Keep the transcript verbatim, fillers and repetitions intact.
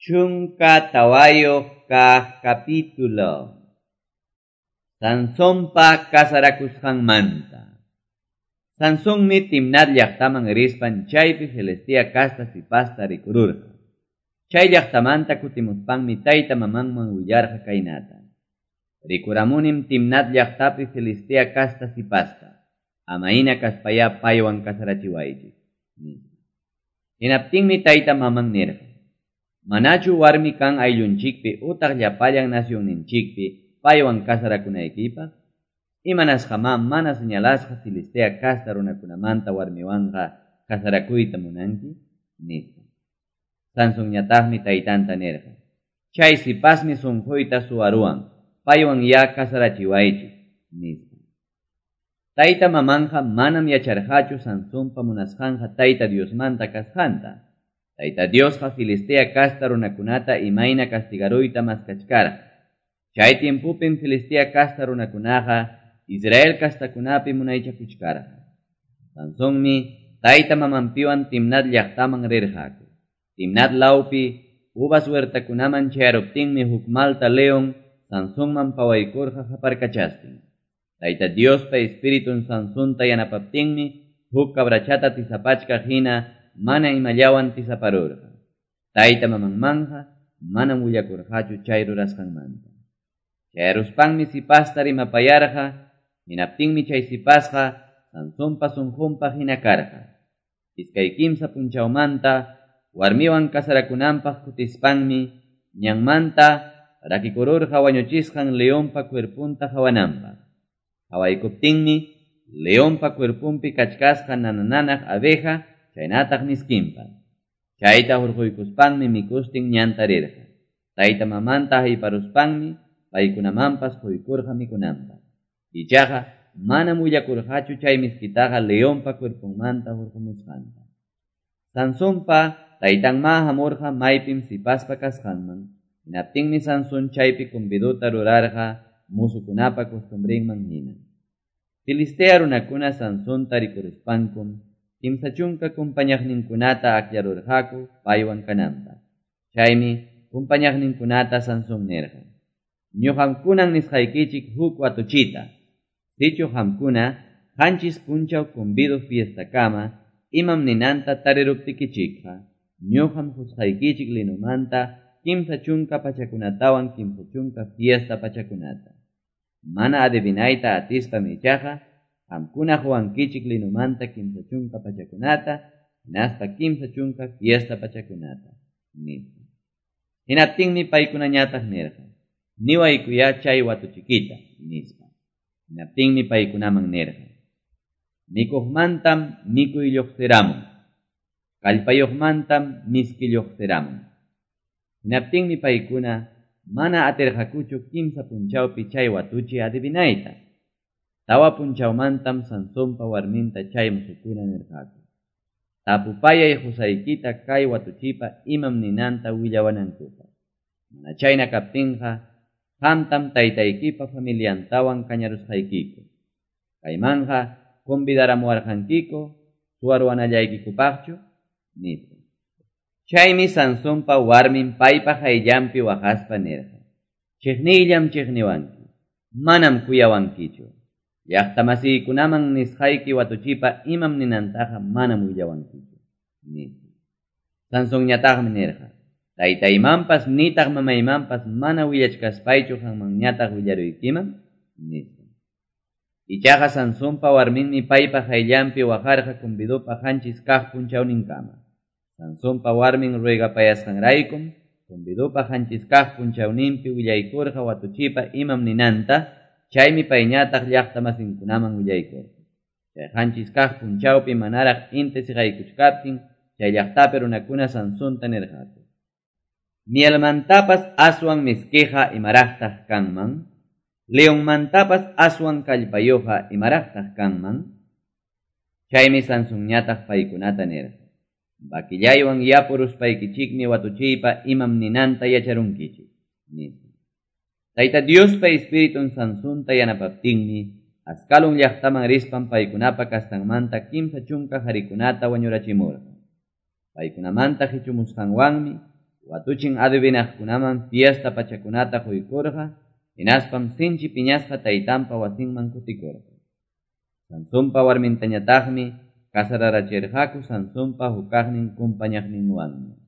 Chunka tawayuq kaq capítulo. Sansonpa kasarakusqanmanta. Sansonmi Timnat llaqtaman rispan chaypi Filistea kasta sipasta rikururqa. Chay llaqtamanta kutimuspanmi tayta mamanman willarqa kaynata. Rikuramunim Timnat llaqtapi Filistea kasta sipasta. Amaina kaspaya paywan kasarachiwaychik. Hinaptinmi tayta maman nirqa. Manachu warmi kan ayllunchikpi utaq llapallan nacionninchikpi paywan kasarakunaykipaq? Imanasqamá mana señalasqa Filistea kasta runakunamanta warmiwanqa kasarakuyta munanki? Nispa. Sansonñataqmi taytanta nirqa. Chay sipasmi sunquyta suwaruwan, paywan ya kasarachiwaychik, nispa. Tayta mamanqa manam yacharqachu Sansonpa munasqanqa Tayta Diosmanta kasqanta. Tayta Diosqa Filistea kasta runakunata imayna castigaruyta maskachkarqa. Chay tiempopim Filistea kasta runakunaqa Israel kastakunapi munaychakuchkarqa. Sansonmi tayta mamanpiwan Timnat llaqtaman rirqaku. Timnat lawpi uvas huertakunaman chayaruptinmi huk malta león Sansonman pawaykurqa qaparkachastin. Tayta Diospa espiritun Sansonta yanapaptinmi huk cabrachata tisapachkaq hina mana imallawan tisaparurqa. Tayta mamanmanja manam willakurqachu chay rurasqanmanta. Chayaruspanmi sipasta rimapayarqa, hinaptinmi chay sipasqa Sansonpa sunqunpaq hina karqa. Iskay kimsa punchawmanta warmiwan kasarakunanpaq kutispanmi ñanmanta rakikururqa wañuchisqan leonpa cuerpunta hawananpaq. Hawaykuptinmi leonpa cuerpunpi kachkasqa nanananaq abeja chaynataq miskinpas. Chayta hurquykuspanmi mikustin ñanta rirqa. Tayta mamanta hayparuspanmi paykunamanpas quykurqa mikunanpaq. Ichaqa manam willakurqachu chay miskitaqa leonpa cuerpunmanta hurqumusqanta. Sansonpa taytanma hamurqa maypim sipaspa kasqanman. Hinaptinmi Sansón chaypi conviduta rurarqa musukunapa costumbrinman hina. Filistea runakuna Sansonta rikuruspankum kimsa chunka kumpañaqninkunata akllarurqaku paywan kananpaq. Chaymi kumpañaqninkunata Sansón nirqa. Ñuqam kunan nisqaykichik huk watuchita. Sichu qamkuna qanchis punchaw convido fiestakama imam ninanta tariruptikichikqa ñuqam qusqaykichik linumanta kimsa chunka pachakunatawan kimsa chunka fiesta pachakunata. Mana adivinayta atispam ichaqa qamkuna quwankichik linumanta kimsa chunka pachakunata hinaspa kimsa chunka fiesta pachakunata, nispa. Hinaptinmi paykunañataq nirqa. Niwaykuyá chay watuchikita, nispa. Hinaptinmi paykunaman nirqa. Mikuqmantam mikuy lluqsiramun. Kallpayuqmantam miski lluqsiramun. Hinaptinmi paykuna mana atirqakuchu kimsa punchawpi chay watuchi adivinayta. Tawa punchawmantam Sansonpa warminta chay musukuna nirqaku. Tapupayay qusaykita kay watuchipa imam ninanta willawanankupaq. Mana chayna kaptinqa qamtam taytaykipa familiantawan kañarusqaykiku. Kaymanqa convidaramuwarqankiku suwaruwanallaykikupaqchu, nispa. Chaymi Sansonpa warmin paypa hayllanpi waqaspa nirqa. Chiqniyllam chiqniwanki, manam kuyawankichu. Llaqtamasiykunaman nisqayki watuchipa imam ninantaqa manam willawankichu, nispa. Sansonñataqmi nirqa. Taytaymanpas nitaq mamaymanpas mana willachkaspaychu qanmanñataq willaruykiman, nispa. Ichaqa Sansonpa warminmi paypa hayllanpi waqarqa convidupa qanchis kaq punchawninkama. Sansonpa warmin ruegapayasqanraykum convidupa qanchis kaq punchawninpi willaykurqa watuchipa imam ninanta, chaymi payñataq llaqtamasinkunaman willaykurqa. Chay qanchis kaq punchawpi manaraq inti siqaykuchkaptin chay llaqtapi runakuna Sansonta nirqaku. Mielmantapas aswan miskiqa imaraqtaq kanman, leonmantapas aswan kallpayuqa imaraqtaq kanman. Chaymi Sansonñataq paykunata nirqa. Bakillaywan yapuruspaykichikmi watuchiypa imam ninanta yacharunkichik, nispa. Tayta Diospa espiritun Sansonta yanapaptinmi Ascalon llaqtaman rispan paykunapa kastanmanta kimsa chunka qharikunata wañurachimurqa. Paykunamanta qichumusqanwanmi Watuchin adivinaqkunaman fiesta pachakunata qoykurqa, hinaspam sinchi piñasqa taytanpa wasinman kutikurqa. Sansonpa warmintañataqmi casararachirqaku Sansonpa hukkaqnin compañaqninwanña.